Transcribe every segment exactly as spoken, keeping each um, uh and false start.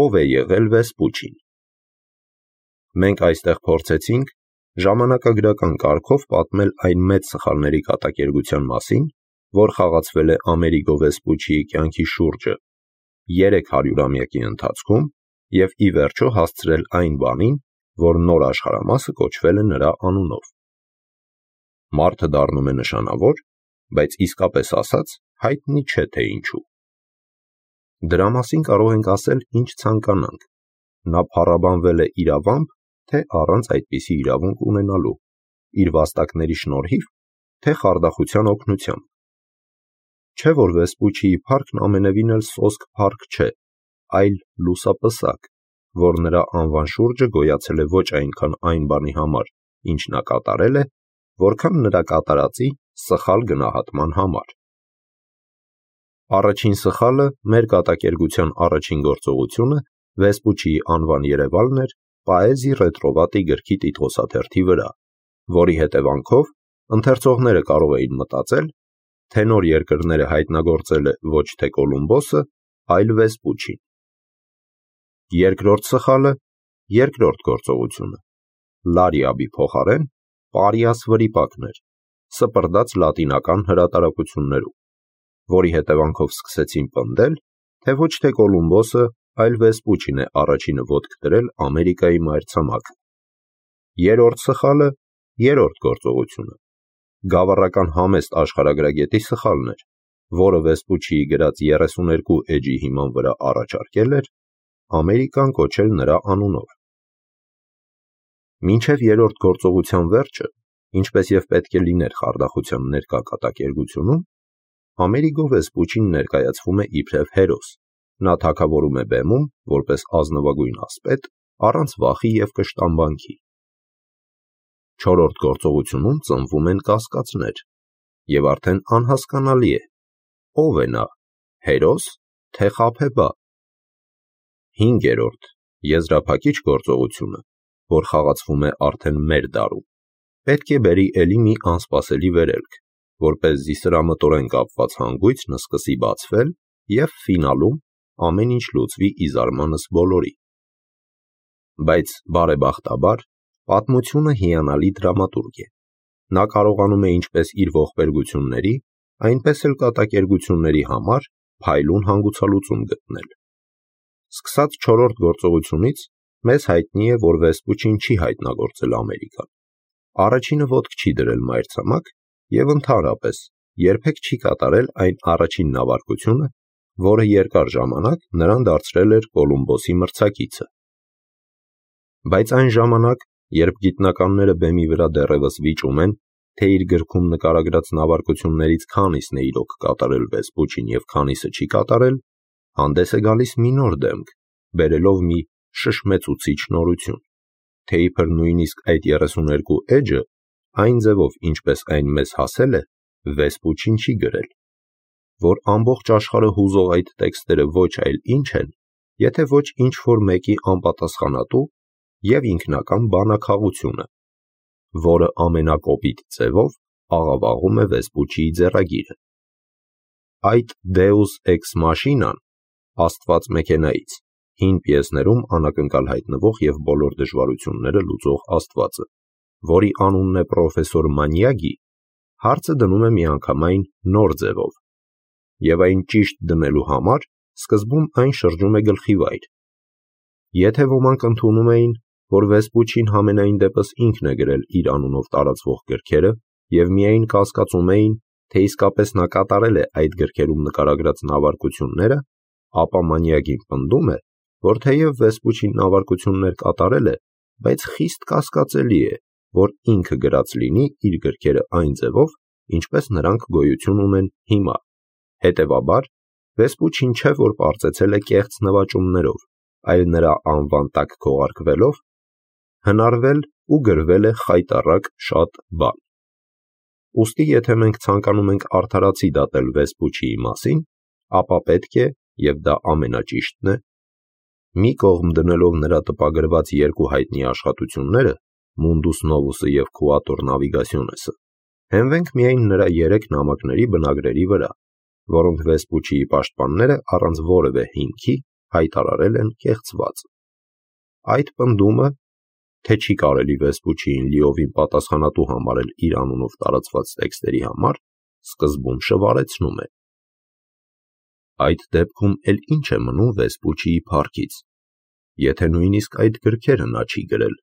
Ով է եղել Վեսպուչին։ Մենք այստեղ փորձեցինք ժամանակագրական կարգով պատմել այն մեծ սխալների կատակերգության մասին, որ խաղացվել է Ամերիգո Վեսպուչիի կյանքի շուրջը երեք հարյուրամյակի ընթացքում և ի վերջո հասցրել այն բանին, որ նոր աշխարհամասը կոչվել է նրա անունով։ Մարդը դառնում է նշանավոր, բայց իսկապես ասած հայտնի չէ, թե ինչու։ Դրա մասին կարող ենք ասել ինչ ցանկանանք, նա փառաբանվել է իրավամբ, թե առանց այդպիսի իրավունք ունենալու, իր վաստակների շնորհիվ, թե խարդախության օգնությամբ։ Չէ որ Վեսպուչիի փառքն ամենևին էլ սոսկ փառք չէ, այլ լուսապսակ, որ նրա անվան շուրջը գոյացել է ոչ այնքան այն բանի համար, ինչ նա կատարել է, որքան նրա կատարածի սխալ գնահատման համար։ Առաջին սխալը, մեր կատակերգության առաջին գործողությունը Վեսպուչիի անվան երևալն էր Պաեզի ռետրովատի գրքի տիտղոսաթերթի վրա, որի հետևանքով ընթերցողները կարող էին մտածել, թե նոր երկրները հայտնագործել է ոչ թե Կոլումբոսը, այլ Վեսպուչին։ Երկրորդ սխալը, երկրորդ գործողությունը, Լարիաբի փոխարեն Պարիաս վրիպակն էր, սպրդած լատինական հրատարակություններում, որի հետևանքով սկսեցին պնդել, թե ոչ թե Կոլումբոսը, այլ Վեսպուչին է առաջինը ոտք դրել Ամերիկայի մայրցամաքը։ Երրորդ սխալը, երրորդ գործողությունը, գավառական համեստ աշխարհագրագետի սխալն էր, որը Վեսպուչիի գրած երեսուներկու էջի հիման վրա առաջարկել էր Ամերիկան կոչել նրա անունով։ Մինչև երրորդ գործողության վերջը, ինչպես և պետք է լիներ խարդախության ներկա կատակերգությունում, Ամերիգո Վեսպուչին ներկայացվում է իբրև հերոս, նա թագավորում է բեմում, որպես ազնվագույն ասպետ, առանց վախի և կշտամբանքի։ Չորրորդ գործողությունում ծնվում են կասկածներ, և արդեն անհասկանալի է, ով է նա, հերոս, թե խաբեբա։ Հինգերորդ, եզրափակիչ գործողությունը, որ խաղացվում է արդեն մեր դարում, պետք է բերի էլի մի անսպասելի վերելք, որպեսզի սրամտորեն կապված հանգույցն սկսի բացվել և ֆինալում ամեն ինչ լուծվի ի զարմանս բոլորի։ Բայց բարեբախտաբար, պատմությունը հիանալի դրամատուրգ է, նա կարողանում է ինչպես իր ողբերգությունների, այնպես էլ կատակերգությունների համար փայլուն հանգուցալուծում գտնել։ Սկսած չորրորդ գործողությունից մեզ հայտնի է, որ Վեսպուչին չի հայտնագործել Ամերիկան, առաջինը ոտք չի դրել մայրցամաք և ընդհանրապես երբեք չի կատարել այն առաջին նավարկությունը, որը երկար ժամանակ նրան դարձրել էր Կոլումբոսի մրցակիցը։ Բայց այն ժամանակ, երբ գիտնականները բեմի վրա դեռևս վիճում են, թե իր գրքում նկարագրած նավարկություններից քանիսն է իրոք կատարել Վեսպուչին և քանիսը չի կատարել, հանդես է գալիս մի նոր դեմք, բերելով մի շշմեցուցիչ նորություն, թե իբր նույնիսկ այդ երեսուներկու էջը, այն ձևով, ինչպես այն մեզ հասել է, Վեսպուչին չի գրել, որ ամբողջ աշխարհը հուզող այդ տեքստերը ոչ այլ ինչ են, եթե ոչ ինչ-որ մեկի անպատասխանատու և ինքնական բանաքաղությունը, որը ամենակոպիտ ձևով աղավաղում է Վեսպուչիի ձեռագիրը։ Այդ Deus Ex Machina-ն, Աստված մեքենայից, հին պիեսներում անակնկալ հայտնվող և բոլոր դժվարությունները լուծող Աստվածը, որի անունն է պրոֆեսոր Մանյագի, հարցը դնում է միանգամայն նոր ձևով, և այն ճիշտ դնելու համար սկզբում այն շրջում է գլխիվայր։ Եթե ոմանք ընդունում էին, որ Վեսպուչին համենայն դեպս ինքն է գրել իր անունով տարածվող գրքերը և միայն կասկածում էին, թե իսկապես նա կատարել է այդ գրքերում նկարագրած նավարկությունները, ապա Մանյագին պնդում է, որ թեև Վեսպուչին նավարկություններ կատարել է, բայց խիստ կասկածելի է, որ ինքը գրած լինի իր գրքերը այն ձևով, ինչպես նրանք գոյություն ունեն հիմա։ Հետևաբար, Վեսպուչին չէ, որ պարծեցել է կեղծ նվաճումներով, այլ նրա անվան տակ քողարկվելով, հնարվել ու գրվել է խայտառակ շատ բան։ Ուստի եթե մենք ցանկանում ենք արդարացի դատել Վեսպուչիի մասին, ապա պետք է, և դա ամենաճիշտն է, մի կողմ դնելով նրա տպագրված երկու հայտնի աշխատությունները՝ Mundus Novus-ը և Quatuor Navigationes-ը, հենվենք միայն նրա երեք նամակների բնագրերի վրա, որոնք Վեսպուչիի պաշտպանները առանց որևէ հիմքի հայտարարել են կեղծված։ Այդ պնդումը, թե չի կարելի Վեսպուչիին լիովին պատասխանատու համարել իր անունով տարածված տեքստերի համար, սկզբում շվարեցնում է։ Այդ դեպքում էլ ինչ է մնում Վեսպուչիի փառքից, եթե նույնիսկ այդ գրքերը նա չի գրել,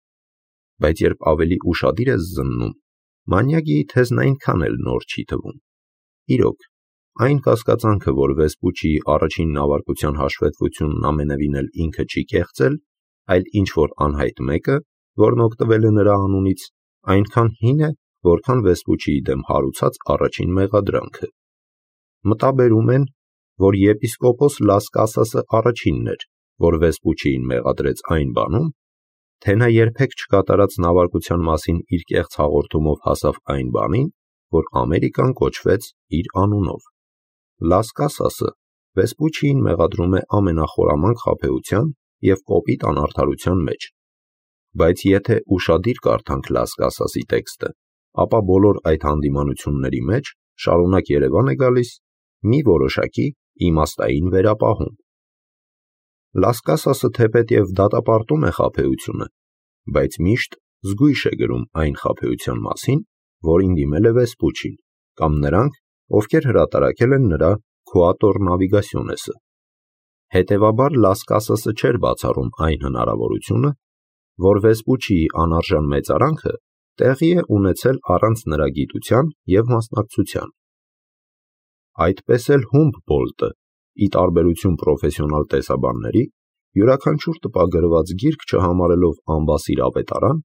բայց երբ ավելի ուշադիր ես զննում, մանյակի թեզն այնքան էլ նոր չի թվում։ Իրոք, այն կասկածանքը, որ Վեսպուչիի առաջին նավարկության հաշվետվությունն ամենևին էլ ինքը չի կեղծել, այլ ինչ-որ անհայտ մեկը, որն օգտվել է նրա անունից, այնքան հին է, որքան Վեսպուչիի դեմ հարուցած առաջին մեղադրանքը։ Մտաբերում են, որ եպիսկոպոս Լաս Կասասը առաջինն էր, որ Վեսպուչիին մեղադրեց այն բանում, թե նա երբեք չկատարած նավարկության մասին իր կեղծ հաղորդումով հասավ այն բանին, որ Ամերիկան կոչվեց իր անունով։ Լաս Կասասը Վեսպուչիին մեղադրում է ամենախորամանկ խաբեության և կոպիտ անարդարության մեջ, բայց եթե ուշադիր կարդանք Լաս Կասասի տեքստը, ապա բոլոր այդ հանդիմանությունների մեջ շարունակ երևան է գալիս մի որոշակի իմաստային վերապահում։ Լաս Կասասը թեպետև դատապարտում է խաբեությունը, բայց միշտ զգույշ է գրում այն խաբեության մասին, որին դիմել է Վեսպուչին, կամ նրանք, ովքեր հրատարակել են նրա Quatuor Navigationes-ը։ Հետևաբար Լաս Կասասը չէր բացառում այն հնարավորությունը, որ Վեսպուչիի անարժան մեծարանքը տեղի է ունեցել առանց նրա գիտության և մասնակցության։ Այդպես էլ Հումբոլդտը, ի տարբերություն պրոֆեսիոնալ տեսաբանների, յուրաքանչյուր տպագրված գիրք չհամարելով անբասիր ավետարան,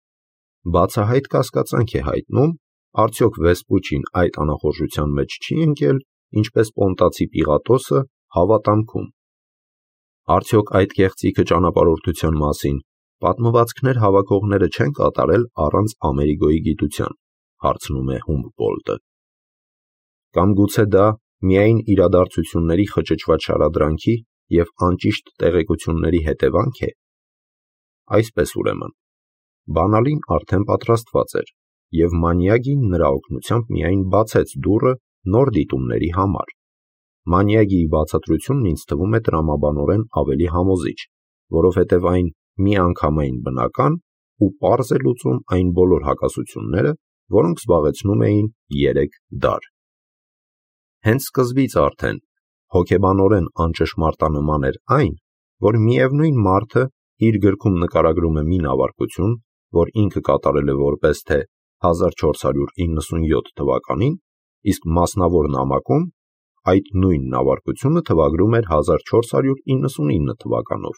բացահայտ կասկածանք է հայտնում, արդյոք Վեսպուչին այդ անախորժության մեջ չի ընկել, ինչպես Պոնտացի Պիղատոսը հավատամքում։ Արդյոք այդ կեղծիքը ճանապարհորդության մասին պատմվածքներ հավաքողները չեն կատարել առանց Ամերիկոյի գիտության, հարցնում է Հումբոլդտը։ Կամ գուցե դա միայն իրադարձությունների խճճված շարադրանքի և անճիշտ տեղեկությունների հետևանք է։ Այսպես ուրեմն, բանալին արդեն պատրաստված էր, և մանյակին նրա օգնությամբ միայն բացեց դուռը նոր դիտումների համար։ Մանյակիի բացատրությունն ինձ թվում է տրամաբանորեն ավելի համոզիչ, որովհետև այն միանգամայն բնական ու պարզ է լուծում այն բոլոր հակասությունները, որոնք զբաղեցնում էին երեք դար։ Հենց սկզբից արդեն հոգեբանորեն անճշմարտանման էր այն, որ միևնույն մարդը իր գրքում նկարագրում է մի նավարկություն, որ ինքը կատարել է որպես թե հազար չորս հարյուր իննսունյոթ թվականին, իսկ մասնավոր նամակում այդ նույն նավարկությունը թվագրում էր հազար չորս հարյուր իննսունինը թվականով,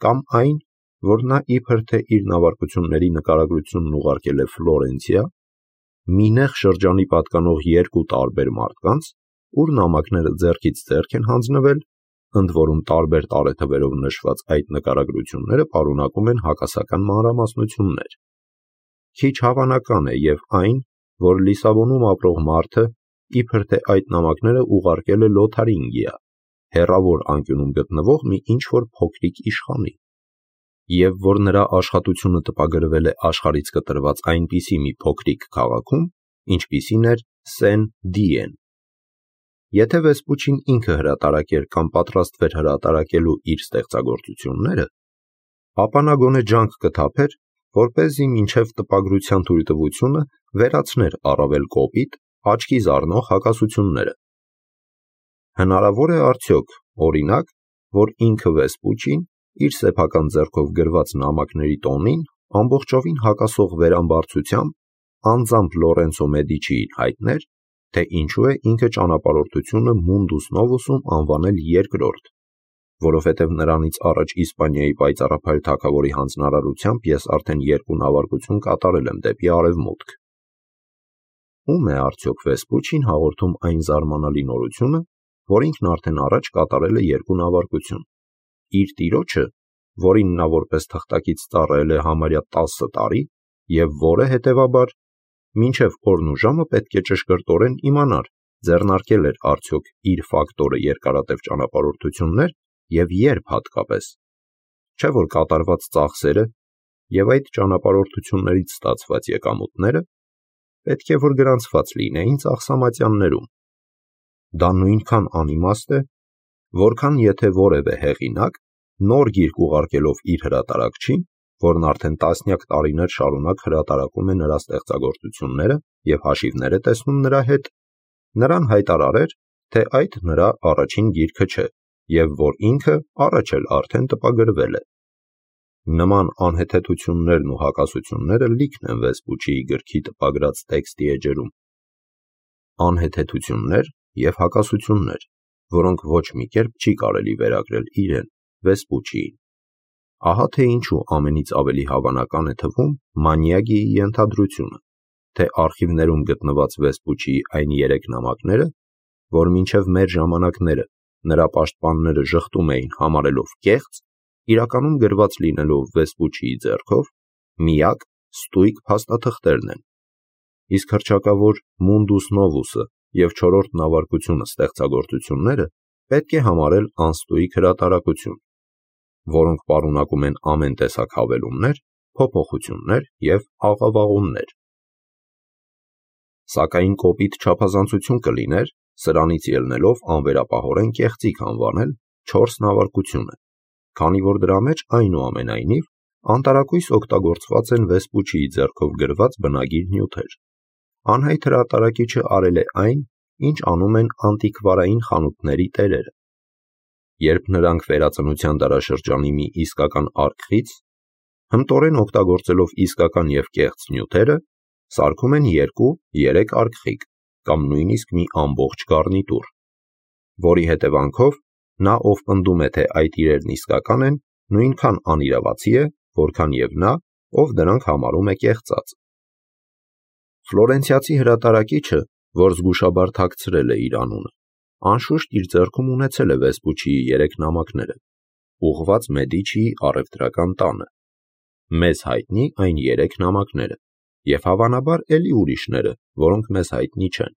կամ այն, որ նա իբր թե իր նավարկությունների նկարագրությունն ուղարկել է Ֆլորենցիա, մի նեղ շրջանի պատկանող երկու տարբեր մարդկանց, ուր նամակները ձեռքից ձեռք են հանձնվել, ընդ որում տարբեր տարեթվերով նշված այդ նկարագրությունները պարունակում են հակասական մանրամասնություններ։ Քիչ հավանական է և այն, որ Լիսաբոնում ապրող մարդը իբր թե այդ նամակները ուղարկել է Լոթարինգիա, հեռավոր անկյունում գտնվող մի ինչ-որ փոքրիկ իշխանի, և որ նրա աշխատությունը տպագրվել է աշխարհից կտրված այնպիսի մի փոքրիկ քաղաքում, ինչպիսին էր Սեն-Դիեն։ Եթե Վեսպուչին ինքը հրատարակեր կամ պատրաստվեր հրատարակելու իր ստեղծագործությունները, ապա նա գոնե ջանք կթափեր, որպեսզի մինչև տպագրության թույլտվությունը վերացներ առավել կոպիտ, աչքի զարնող հակասությունները։ Հնարավոր է արդյոք, օրինակ, որ ինքը Վեսպուչին իր սեփական ձեռքով գրված նամակների տոնին ամբողջովին հակասող վերամբարձությամբ անձամբ Լորենցո Մեդիչիին հայտներ, թե ինչու է ինքը ճանապարհորդությունը Mundus Novus-ում անվանել երկրորդ, որովհետև նրանից առաջ Իսպանիայի պայծառափայլ թագավորի հանձնարարությամբ ես արդեն երկու նավարկություն կատարել եմ դեպի արևմուտք։ Ո՞ւմ է արդյոք Վեսպուչին հաղորդում այն զարմանալի նորությունը, որ ինքն արդեն առաջ կատարել է երկու նավարկություն։ Իր տիրոջը, որին նա որպես թղթակից ծառայել է համարյա տասը տարի, և որը, հետևաբար, մինչև օրն ու ժամը պետք է ճշգրտորեն իմանար, ձեռնարկել էր արդյոք իր ֆակտորը երկարատև ճանապարհորդություններ և երբ հատկապես, չէ՞ որ կատարված ծախսերը և այդ ճանապարհորդություններից ստացված եկամուտները պետք է որ գրանցված լինեին ծախսամատյաններում։ Դա նույնքան անիմաստ է, որքան եթե որևէ հեղինակ նոր գիրք ուղարկելով իր հրատարակչին, որն արդեն տասնյակ տարիներ շարունակ հրատարակում է նրա ստեղծագործությունները և հաշիվներ է տեսնում նրա հետ, նրան հայտարարեր, թե այդ նրա առաջին գիրքը չէ և որ ինքը առաջ էլ արդեն տպագրվել է։ Նման անհեթեթություններն ու հակասությունները լիքն են Վեսպուչիի գրքի տպագրած տեքստի էջերում։ Անհեթեթություններ և հակասություններ, որոնք ոչ մի կերպ չի կարելի վերագրել իրեն, Վեսպուչիին։ Ահա թե ինչու ամենից ավելի հավանական է թվում Մանյագիի ենթադրությունը, թե արխիվներում գտնված Վեսպուչիի այն երեք նամակները, որ մինչև մեր ժամանակները նրա պաշտպանները ժխտում էին համարելով կեղծ, իրականում գրված լինելով Վեսպուչիի ձեռքով, միակ ստույգ փաստաթղթերն են, իսկ հռչակավոր Mundus Novus-ը և չորրորդ նավարկությունը ստեղծագործությունները պետք է համարել անստույգ հրատարակություն, որոնք պարունակում են ամեն տեսակ հավելումներ, փոփոխություններ և աղավաղումներ։ Սակայն կոպիտ չափազանցություն կլիներ սրանից ելնելով անվերապահորեն կեղծիք անվանել չորս նավարկությունը, քանի որ դրա մեջ այնուամենայնիվ անտարակույս օգտագործված են Վեսպուչիի ձեռքով գրված բնագիր նյութեր։ Անհայտ հրատարակիչը արել է այն, ինչ անում են անտիկվարային խանութների տերերը։ Երբ նրանք վերածնության դարաշրջանի մի իսկական արկղից, հմտորեն օգտագործելով իսկական և կեղծ նյութերը, սարքում են երկու, երեք արկղիկ կամ նույնիսկ մի ամբողջ գառնիտուր, որի հետևանքով նա, ով պնդում է, թե այդ իրերն իսկական են, նույնքան անիրավացի է, որքան և նա, ով դրանք համարում է կեղծած։ Ֆլորենցիացի հրատարակիչը, որ զգուշաբար թաքցրել է իր անունը, անշուշտ իր ձեռքում ունեցել է Վեսպուչիի երեք նամակները, ուղղված Մեդիչիի առևտրական տանը, մեզ հայտնի այն երեք նամակները և հավանաբար էլի ուրիշները, որոնք մեզ հայտնի չեն։